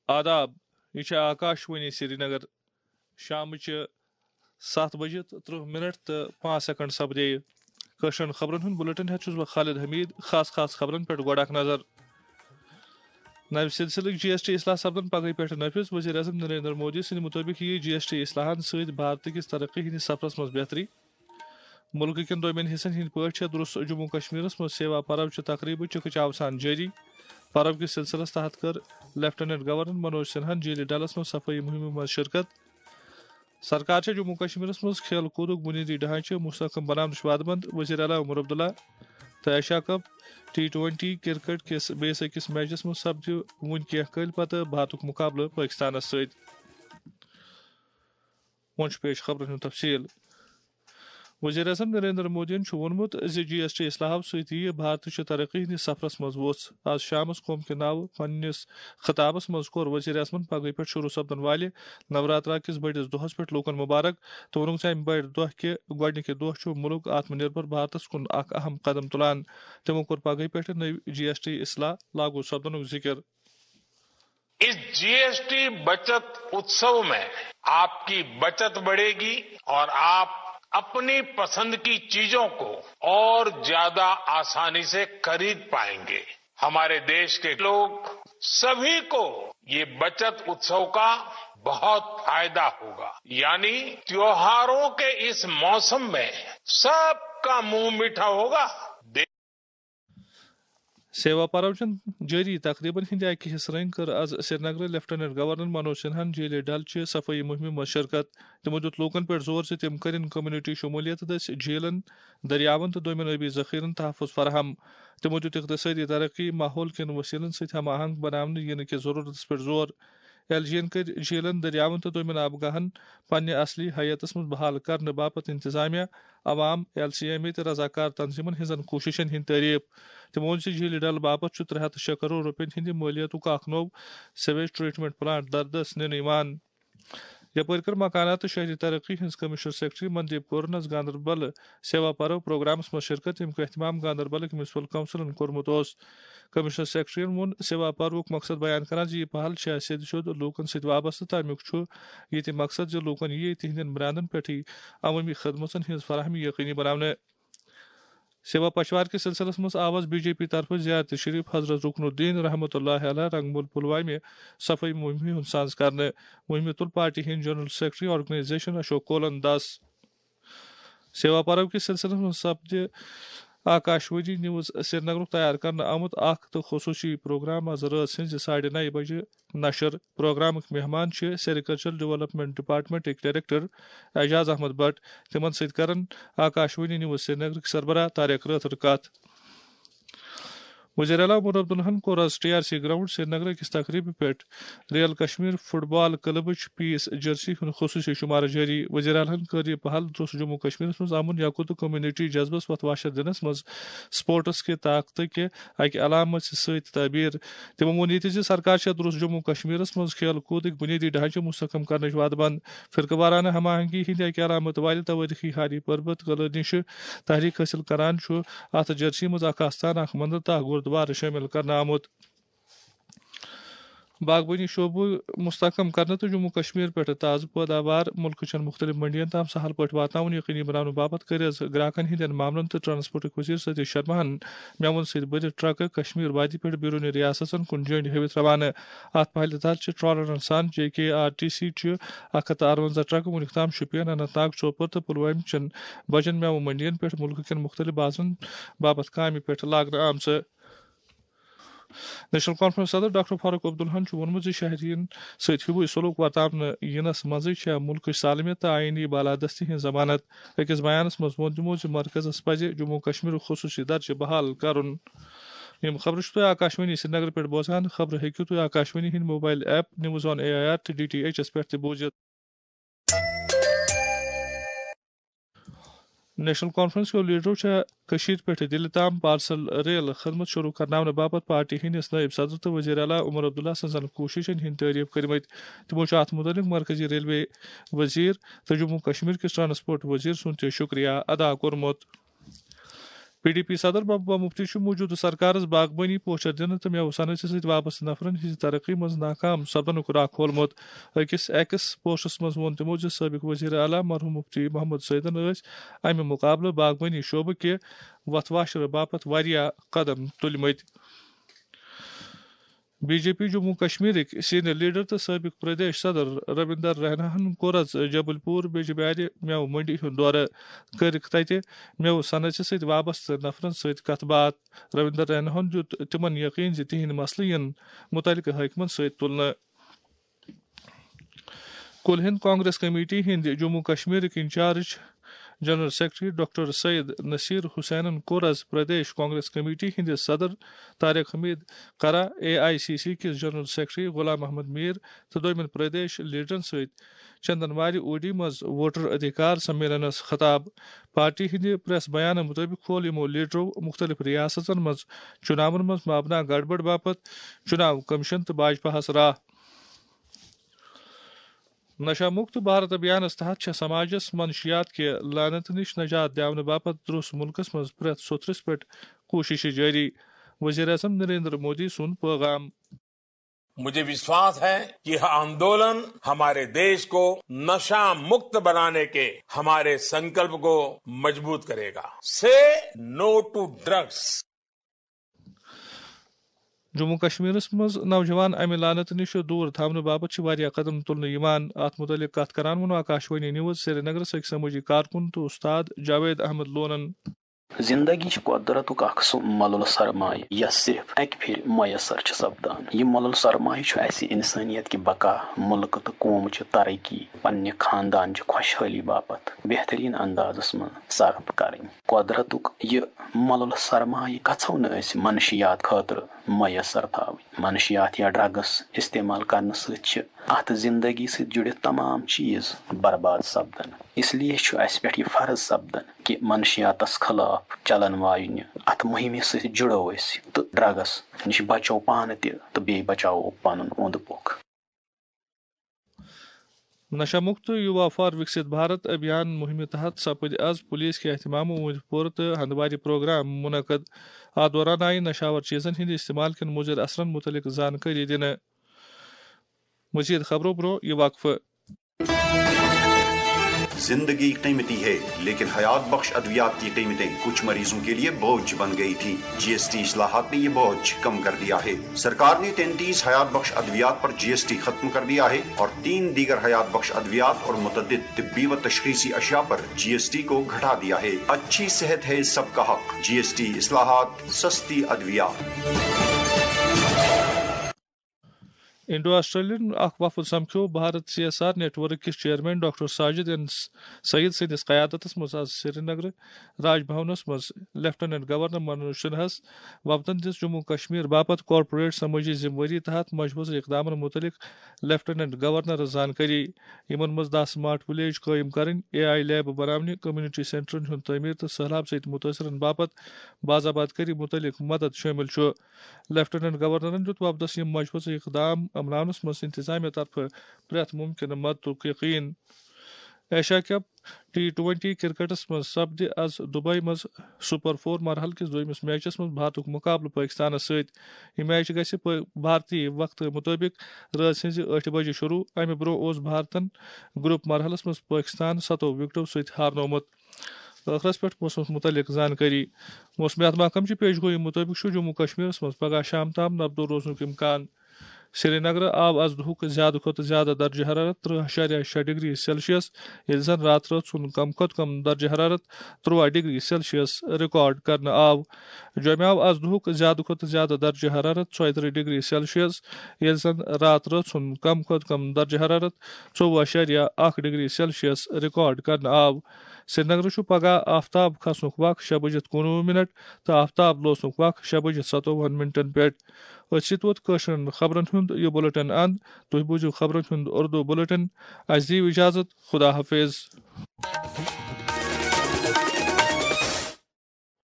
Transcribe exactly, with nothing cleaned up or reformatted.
آداب، یہِ چھِ آکاش وانی سرینگر۔ شامٕچہِ ستھ بجہِ تہٕ ترٕٛہ منٹ تہٕ پانٛژھ سیکنڈ سپدے۔ کٲشرٮ۪ن خبرن ہُنٛد بلیٹن ہٮ۪تھ چھُس بہٕ خالد حمید۔ خاص خاص خبرن پٮ۪ٹھ گۄڈٕ اکھ نظر۔ نوِ سلسلٕکۍ جی ایس ٹی اصلاح سپدن پگہٕے پٮ۪ٹھ نافذ۔ وزیر اعظم نریندر مودی سٕنٛدِ مُطٲبِق یِیہِ جی ایس ٹی اصلاحن سۭتۍ بھارتہٕ کِس ترقی ہٕنٛدِس سفرس منٛز بہتری۔ مُلکہٕ کٮ۪ن دوٚیمٮ۪ن حصن ہٕنٛدۍ پٲٹھۍ چھےٚ درُس جموں کشمیرس منٛز سیوا پرو چہِ تقریبہٕ چکہٕ چاوسان جٲری۔ پرو کِس سلسلس تحت کٔر لیفٹیننٹ گورنر منوج سنہاہن جیٖلہِ ڈلس منٛز صفٲیی مُہِمہِ منٛز شرکت۔ سرکار چھےٚ جموں کشمیرس منٛز کھیل کوٗدُک بُنیٲدی ڈھانچہٕ مستحکم بناونٕچ وعدٕ منٛد۔ وزیر اعلیٰ عمر عبداللہ تہٕ Asia cup T twenty cricket کِس بیٚیِس أکِس میچس منٛز سپدِ وُنہِ کینٛہہ کٲلۍ پتہٕ بھارتُک مُقابلہٕ پٲکستانس سۭتۍ۔ وۄنۍ چھُ پیش خبرن ہُنٛد تفصیل۔ وزیر اعظم نریندر مودیَن چھُ ووٚنمُت زِ جی ایس ٹی اصلاحو سۭتۍ یِیہِ بھارتٕچہِ ترقی ہٕنٛدِس سفرس منٛز وُژھ۔ آز شامس قوم کہِ ناوٕ پننِس خطابس منٛز کوٚر وزیر اعظمن پگہٕے پٮ۪ٹھ شروع سپدن والہِ نوراترا کِس بٔڑِس دۄہس پٮ۪ٹھ لوٗکن مبارک تہٕ ووٚنُکھ زِ امہِ بٔڑِ دۄہ کہِ گۄڈٕنِکہِ دۄہ چھُ مُلک آتم نربھر بھارتس کُن اکھ اہم قدم تُلان۔ تِمو کوٚر پگہٕے پٮ۪ٹھ نٔوۍ جی ایس ٹی اصلاح لاگو سپدنُک ذِکِر۔ इस जीएसटी बचत उत्सव में आपकी बचत बढ़ेगी और आप अपनी पसंद की चीजों को और ज्यादा आसानी से खरीद पाएंगे। हमारे देश के लोग, सभी को ये बचत उत्सव का बहुत फायदा होगा। यानी त्योहारों के इस मौसम में सबका मुंह मीठा होगा। سیوا پرو چٮ۪ن جٲری تقریبن ہٕنٛدِ اکہِ حصہٕ رٔنگۍ کٔر از سرینگرٕ لیفٹیننٹ گورنر منوج سنہاہن جیٖلہِ ڈل چہِ صفٲیی مُہِمہِ منٛز شرکت۔ تِمو دیُت لوٗکن پٮ۪ٹھ زور زِ تِم کٔرِن کمیونٹی شمولیت دٔسۍ جیٖلن، دٔریاون تہٕ دوٚیمٮ۪ن ٲبی ذخیرن تحفظ فراہم۔ تِمو دیُت اقتصٲدی ترقی، ماحول کٮ۪ن وسیلن سۭتۍ ہم آہنگ بناونہٕ ینہٕ کِس ضرورتس پٮ۪ٹھ زور۔ ایل جی ین کٔرۍ جیٖلن، دٔریاون تہٕ دوٚیمٮ۪ن آبگاہن پننہِ اصلی حیتس منٛز بحال کرنہٕ باپتھ انتظامیہ، عوام، ایل سی ایم اے تہٕ رضاکار تنظیمن ہٕنٛزن کوٗششن ہٕنٛدۍ تعریف۔ تِمو ووٚن زِ جھیلہِ ڈل باپتھ چھُ ترٛےٚ ہتھ تہٕ شےٚ کرور رۄپین ہٕنٛدِ مٲلیتُک اکھ نوٚو سیویج ٹریٹمنٹ پلانٹ دردس نِنہٕ یِوان۔ یپٲرۍ کٔر مکانات تہٕ شہری ترقی ہٕنٛز کمشنر سیکرٹری مندیپ کورنس گاندربل سیوا پرو پروگرامس منٛز شرکت، ییٚمیُک اہتمام گاندربلٕکۍ میونسپل کونسلن کوٚرمُت اوس۔ کمشنر سیکرٹریَن ووٚن سیوا پروُک مقصد بیان کران زِ یہِ پہل چھےٚ سیٚدِ سیوٚد لوٗکن سۭتۍ وابستہٕ، تہٕ امیُک چھُ یہِ تہِ مقصد زِ لوٗکن یِیہِ تِہنٛدٮ۪ن برانڈن پٮ۪ٹھٕے عوٲمی خدمژن ہٕنٛز فراہمی یقینی بناونہٕ۔ سیوا پچھوار کِس سلسلس منٛز آو از بی جے پی طرفہٕ زیارت شریف حضرت رکن الدین رحمۃ اللہ علیہ رنگمول پلوامہِ صفٲیی مُہِمہِ ہُنٛد سانز کرنہٕ۔ مُہِمہِ تُل پارٹی ہٕنٛدۍ جنرل سیکرٹری آرگنائزیشن اشوک کولن دس۔ سیوا پرو کِس سلسلس منٛز سپدِ آکاشوانی نیوز سرینگرُک تیار کرنہٕ آمُت اکھ تہٕ خصوٗصی پروگرام از رٲژ ہٕنٛزِ ساڑِ نَیہِ بجہِ نشر۔ پروگرامٕکۍ مہمان چھِ سیریکلچر ڈیولپمنٹ ڈپارٹمنٹٕکۍ ڈائریکٹر اعجاز احمد بٹ۔ تِمن سۭتۍ کرن آکاشوانی نیوز سرینگرٕکۍ سربراہ طارق رٲتھر کتھ۔ وزیر اعلیٰ عمر عبداللہن کوٚر از T R C ground Srinagar أکِس تقریبہِ پٮ۪ٹھ ریل کشمیر فٹ بال کلبٕچ پیس جرسی ہُنٛد خصوٗصی شمارٕ جٲری۔ وزیر اعلیٰ ہن کٔر یہِ پہل درٛوس جموں کشمیرس منٛز امن یقین تہٕ کمیونٹی جذبس وۄتھ واشر دِنس منٛز سپورٹس کہِ طاقتہٕ کہِ اکہِ علامت سۭتۍ تعبیر۔ تِمو ووٚن یہِ تہِ زِ سرکار چھےٚ درٛوس جموں کشمیرس منٛز کھیل کوٗدٕکۍ بُنیٲدی ڈھانچہٕ مستحکم کرنٕچ وعدٕ بنٛد۔ فرقہٕ وارانہٕ ہم آہنگی ہٕنٛدِ اکہِ علامت والہِ توٲریخی ہاری پربت قلعہٕ نِشہٕ تحریک حٲصِل کران چھُ اتھ جرسی منٛز اکھ آستان، اکھ مندر تہٕ اکھ گردوارٕ شٲمِل کرنہٕ آمُت۔ باغبٲنی شعبہٕ مستحکم کرنہٕ تہٕ جموں کشمیر پٮ۪ٹھ تازٕ پٲداوار مُلکہٕ چٮ۪ن مُختٔلِف منڈین تام سہل پٲٹھۍ واتناوُن یقینی بناونہٕ باپتھ کٔرۍ از گراکن ہٕنٛدٮ۪ن معاملن تہٕ ٹرانسپورٹٕکۍ وزیر ستی شرماہن مٮ۪وَن سۭتۍ بٔرِتھ ٹرکہٕ کشمیر وادی پٮ۪ٹھ بیرونی ریاستن کُن جٔنڈۍ ہٲوِتھ روانہٕ۔ اتھ پہلہِ تحت چھِ ٹرالرن سان جے کے آر ٹی سی چہِ اکھ ہتھ تہٕ ارونزہ ٹرکہٕ وُنیُک تام شوپین، اننت ناگ، سوپور تہٕ پلوامہِ چٮ۪ن بجن مٮ۪وٕ منڈین پٮ۪ٹھ مُلکہٕ کٮ۪ن مُختٔلِف بازرن باپتھ کامہِ پٮ۪ٹھ لاگنہٕ آمژٕ۔ نیشنل کانفرنس صدر ڈاکٹر فاروق عبداللہن چھُ ووٚنمُت زِ شہرین سۭتۍ ہیوٗوُے سلوک ورتاونہٕ یِنس منٛزٕے چھےٚ مُلکٕچ سالمیت تہٕ آئینی بالادستی ہٕنٛز ضمانت۔ أکِس بیانس منٛز ووٚن تِمو زِ مرکزس پزِ جموں کشمیرُک خصوٗصی درجہٕ بحال کرُن۔ یِم خبرٕ چھِو تۄہہِ آکاشوانی سرینگر پٮ۪ٹھ بوزان۔ خبرٕ ہیٚکِو تُہۍ آکاشوانی ہٕنٛدۍ mobile app news on A I R تہٕ ڈی ٹی ایچ یَس پٮ۪ٹھ تہِ بوٗزِتھ۔ نیشنل کانفرنس کیو لیڈرو چھےٚ کٔشیٖرِ پٮ۪ٹھ دِلہِ تام پارسل ریل خدمت شروع کرناونہٕ باپتھ پارٹی ہٕنٛدِس نٲیِب صدر تہٕ وزیر اعلیٰ عمر عبداللہ سٕنٛزن کوٗششن ہٕنٛدۍ تعریف کٔرمٕتۍ۔ تِمو چھُ اتھ مُتعلق مرکزی ریلوے وزیر تہٕ جموں کشمیر کِس ٹرانسپورٹ وزیر سُنٛد تہِ شُکریہ ادا کوٚرمُت۔ پی ڈی پی صدر محبوبہ مفتی چھُ موجودٕ سرکارس باغبٲنی پوچھر دِنہٕ تہٕ مٮ۪وٕ صنعتہِ سۭتۍ وابستہٕ نفرن ہٕنٛزِ ترقی منٛز ناکام سپدنُک راکھ کھولمُت۔ أکِس ایکس پوسٹس منٛز ووٚن تِمو زِ سٲبق وزیر اعلیٰ مرحوم مفتی محمد سعیدن ٲسۍ امہِ مقابلہٕ باغبٲنی شعبہٕ کہِ وتھ واشرٕ باپتھ واریاہ قدم تُلمٕتۍ۔ بی جے پی جموں کشمیرٕکۍ سینئر لیڈر تہٕ سٲبق پردیش صدر رویندر ریناہن کوٚر از جبل پور بیجبیارِ مٮ۪وٕ منڈی ہُنٛد دورٕ۔ کٔرٕکھ تتہِ مٮ۪وٕ صنعتہِ سۭتۍ وابستہٕ نفرن سۭتۍ کتھ باتھ۔ رویندر ریناہن دیُت تِمن یقین زِ تِہنٛدۍ مسلہٕ یِن متعلقہٕ حٲکمن سۭتۍ تُلنہٕ۔ کُل ہند کانگریس کمیٹی ہٕنٛدۍ جموں کشمیرٕکۍ incharge general secretary doctor Syed Naseer حسینن کوٚر از پردیش کانگریس کمیٹی ہٕنٛدِس صدر طارق حمید کرا، اے آئی سی سی کِس جنرل سیکرٹری غلام محمد میر تہٕ دوٚیمٮ۪ن پردیش لیڈرن سۭتۍ چندن واری اوڈی منٛز ووٹر ادھیکار سمیلنس خطاب۔ پارٹی ہٕنٛدِ پریس بیانہٕ مُطٲبِق کھول یِمو لیڈرو مُختٔلِف ریاستن منٛز چُناون منٛز مبنی گڑبڑ باپتھ چُناو کمیشن تہٕ بھاجپاہس راہ۔ نشہ مکت بھارت ابھیانس تحت چھےٚ سماجس منشیات کہِ لعنت نِش نجات دِیاونہٕ باپتھ درٛوس مُلکس منٛز پرٛٮ۪تھ سوٚتھرِس پٮ۪ٹھ کوٗششہٕ جٲری۔ وزیر اعظم نریندر مودی سُنٛد پٲغام۔ मुझे विश्वास है कि यह आंदोलन हमारे देश को नशा मुक्त बनाने के हमारे संकल्प को मजबूत करेगा। से नो टू ड्रग्स। جموں کشمیرس منٛز نوجوان امہِ لعنت نِش دوٗر تھاونہٕ باپتھ چھِ واریاہ قدم تُلنہٕ یِوان۔ اتھ مُتعلق کتھ کران ووٚن آکاشوانی نیوز سرینگرس أکۍ سمٲجی کارکُن تہٕ استاد جاوید احمد لونن۔ زندگی چھِ قۄدرتُک اکھ سُہ مۄلُل سرمایہِ یۄس صرف اکہِ پھِرِ میسر چھِ سپدان۔ یہِ مۄلُل سرمایہِ چھُ اسہِ انسانیت کہِ بقا، مُلکہٕ تہٕ قومہٕ چہِ ترقی، پننہِ خاندان چہِ خۄشحٲلی باپتھ بہترین اندازس منٛز صرف کرٕنۍ۔ قۄدرتُک یہِ مۄلُل سرمایہِ گژھو نہٕ أسۍ منشیات خٲطرٕ میسر تھاوٕنۍ۔ منشیات یا ڈرگس استعمال کرنہٕ سۭتۍ چھِ اتھ زندگی سۭتۍ جُڑِتھ تمام چیز برباد سپدان۔ اس لیے چھُ اسہِ پٮ۪ٹھ یہِ فرض سپدان کہِ منشیاتس خلاف چلن واجنہِ اتھ مُہمہِ سۭتۍ جُڑو أسۍ تہٕ ڈرگس نِش بچو پانہٕ تہِ تہٕ بیٚیہِ بچاوو پنُن اوٚنٛد پوٚکھ۔ نشہ مکت یووا فار وکست بھارت ابھیان مُہمہِ تحت سپٕدۍ از پُلیٖس کہِ اہتمامہٕ اوٗنٛدۍ پورٕ تہٕ ہندوارِ پروگرام منعقد۔ اتھ دوران آیہِ نشاور چیزن ہٕنٛدِ استعمال کٮ۪ن مُضر اثرن مُتعلق زانکٲری دِنہٕ۔ مزید خبرو برونٛہہ یہِ وقفہٕ۔ زندگی قیمتی ہے، لیکن حیات بخش ادویات کی قیمتیں کچھ مریضوں کے لیے بوجھ بن گئی تھی۔ جی ایس ٹی اصلاحات نے یہ بوجھ کم کر دیا ہے۔ سرکار نے تینتیس حیات بخش ادویات پر جی ایس ٹی ختم کر دیا ہے اور تین دیگر حیات بخش ادویات اور متعدد طبی و تشخیصی اشیاء پر جی ایس ٹی کو گھٹا دیا ہے۔ اچھی صحت ہے سب کا حق، جی ایس ٹی اصلاحات، سستی ادویات۔ انڈو آسٹریلین اکھ وفد سمکھیو Bharat C S R network کِس chairman doctor Sajid N Saeed سٕنٛدِس قیادتس منٛز آز سرینگر راج بھونس منٛز لیفٹیننٹ گورنر منوج سنہاہس وفدن دِژ جموں کشمیر باپتھ کارپوریٹ سمٲجی ذمہٕ وٲری تحت مجوزٕ اقدامن مُتعلق لیفٹیننٹ گورنرس زانکٲری۔ یِمن منٛز دَہ سمارٹ ولیج قٲیِم کرٕنۍ، اے آئی لیب بناونہِ، کمیونٹی سینٹرن ہُنٛد تعمیٖر تہٕ سٔہلاب سۭتۍ مُتٲثرن باپتھ باضابطگی مُتعلق مدد شٲمِل چھُ۔ لیفٹیننٹ گورنرن دیُت وفدس یِم مجوزٕ اقدام عملاونس منٛز انتظامیہ طرفہٕ پرٛٮ۪تھ مُمکِنہٕ مدتُک یقین۔ ایشیا کپ ٹی ٹوئنٹی کرکٹس منٛز سپدِ از دبئی منٛز سپر فور مرحلہٕ کِس دوٚیمِس میچس منٛز بھارتُک مقابلہٕ پٲکستانس سۭتۍ۔ یہِ میچ گژھِ پٲ-، بھارتی وقتہٕ مُطٲبِق رٲژ ہٕنٛزِ ٲٹھِ بجہِ شروع۔ امہِ برونٛہہ اوس بھارتن گروپ مرحلس منٛز پٲکستان ستو وکٹو سۭتۍ ہارنومُت۔ ٲخرس پٮ۪ٹھ موسمس مُتعلق زانکٲری۔ موسمیات محکمہٕ چہِ پیش گویی مُطٲبِق چھُ جموں کشمیرس منٛز پگہہ شام تام نبدو روزنُک امکان۔ سرینگرٕ آو از دُہُک زیادٕ کھۄتہٕ زیادٕ درجہ حرارت ترٕٛہ اَشاریہ شےٚ ڈگری سیلسیس، ییٚلہِ زن راتہٕ رٲژ ہُنٛد کم کھۄتہٕ کم درجہ حرارت تُرٛواہ ڈگری سیلسیس ریکارڈ کرنہٕ آو۔ جوٚمہِ آو از دُہُک زیادٕ کھۄتہٕ زیادٕ درجہ حرارت ژۄیہِ ترٕٛہ ڈگری سیلسیس، ییٚلہِ زن راتہٕ رٲژ ہُنٛد کم کھۄتہٕ کم درجہ حرارت ژوٚوُہ اَشاریہ اکھ ڈگری سیلسیس ریکارڈ کرنہٕ آو۔ سرینگرٕ چھُ پگہہ آفتاب کھسنُک وق شےٚ بجِتھ کُنوُہ منٹ تہٕ آفتاب لوسنُک وق شےٚ بجِتھ ستووُہن منٹن پٮ۪ٹھ۔ أتھۍ سۭتۍ ووت کٲشرٮ۪ن خبرن ہُنٛد یہِ بلیٹن اند۔ تُہۍ بوٗزِو خبرن ہُنٛد اردو بلیٹن۔ اسہِ دِیِو اجازت۔ خدا حافظ۔